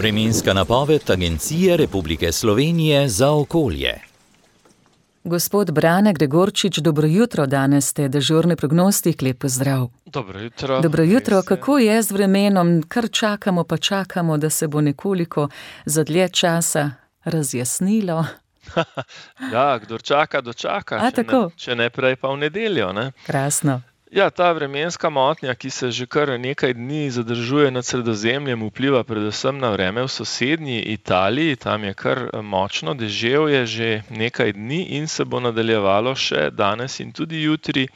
Vremenska napoved Agencije Republike Slovenije za okolje. Gospod Brane Gregorčič, dobro jutro, danes ste dežurni prognostik, lep pozdrav. Dobro jutro. Dobro jutro, kako je z vremenom? Kar čakamo, da se bo nekoliko za dlje časa razjasnilo. Ja, kdor čaka, dočaka, če ne prej pa v nedeljo, ne? Krasno. Ja, ta vremenska motnja, ki se že kar nekaj dni zadržuje nad Sredozemljem, vpliva predvsem na vreme v sosednji Italiji. Tam je kar močno deževje že nekaj dni in se bo nadaljevalo še danes in tudi jutri.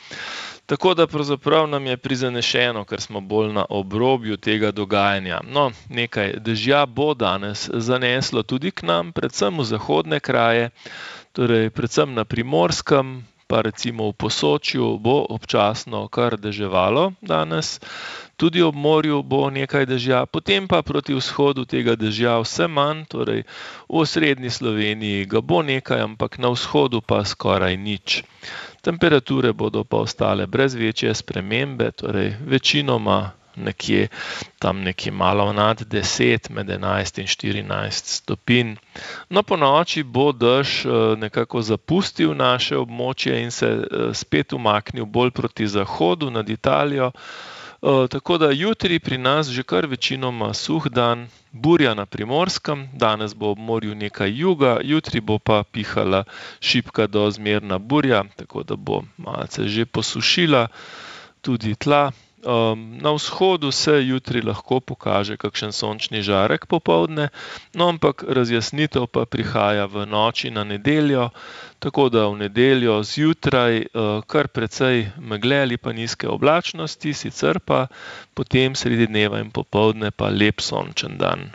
Tako da pravzaprav nam je prizanešeno, ker smo bolj na obrobju tega dogajanja. No, nekaj dežja bo danes zaneslo tudi k nam, predvsem v zahodne kraje, torej predvsem na Primorskem, pa recimo v Posočju bo občasno kar deževalo danes. Tudi ob morju bo nekaj dežja, potem pa proti vzhodu tega dežja vse manj, torej v osrednji Sloveniji ga bo nekaj, ampak na vzhodu pa skoraj nič. Temperature bodo pa ostale brez večje spremembe, torej večinoma nekje malo nad 10, med 11 in 14 stopinj. No, po noči bo dež nekako zapustil naše območje in se spet umaknil bolj proti zahodu nad Italijo. Tako da jutri pri nas že kar večinoma suh dan, burja na Primorskem, danes bo ob morju nekaj juga, jutri bo pa pihala šibka do zmerna burja, tako da bo malce že posušila tudi tla. Na vzhodu se jutri lahko pokaže kakšen sončni žarek popoldne, no ampak razjasnitev pa prihaja v noči na nedeljo, tako da v nedeljo zjutraj kar precej megle ali pa nizke oblačnosti, sicer pa potem sredi dneva in popoldne pa lep sončen dan.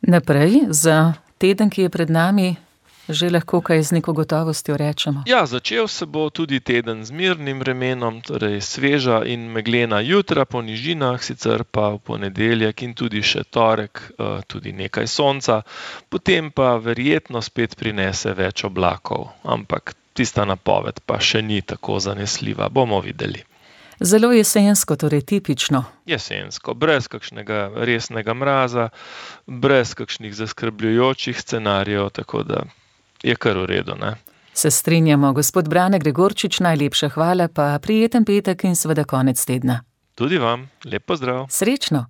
Naprej za teden, ki je pred nami, že lahko kaj z neko gotovostjo rečemo. Ja, začel se bo tudi teden z mirnim vremenom, torej sveža in meglena jutra po nižinah, sicer pa v ponedeljek in tudi še torek tudi nekaj sonca, potem pa verjetno spet prinese več oblakov, ampak tista napoved pa še ni tako zanesljiva, bomo videli. Zelo jesensko, torej tipično. Jesensko, brez kakšnega resnega mraza, brez kakšnih zaskrbljujočih scenarijev, tako da je kar v redu, ne? Se strinjamo, gospod Brane Gregorčič, najlepša hvala, pa prijeten petek in seveda konec tedna. Tudi vam, lep pozdrav. Srečno.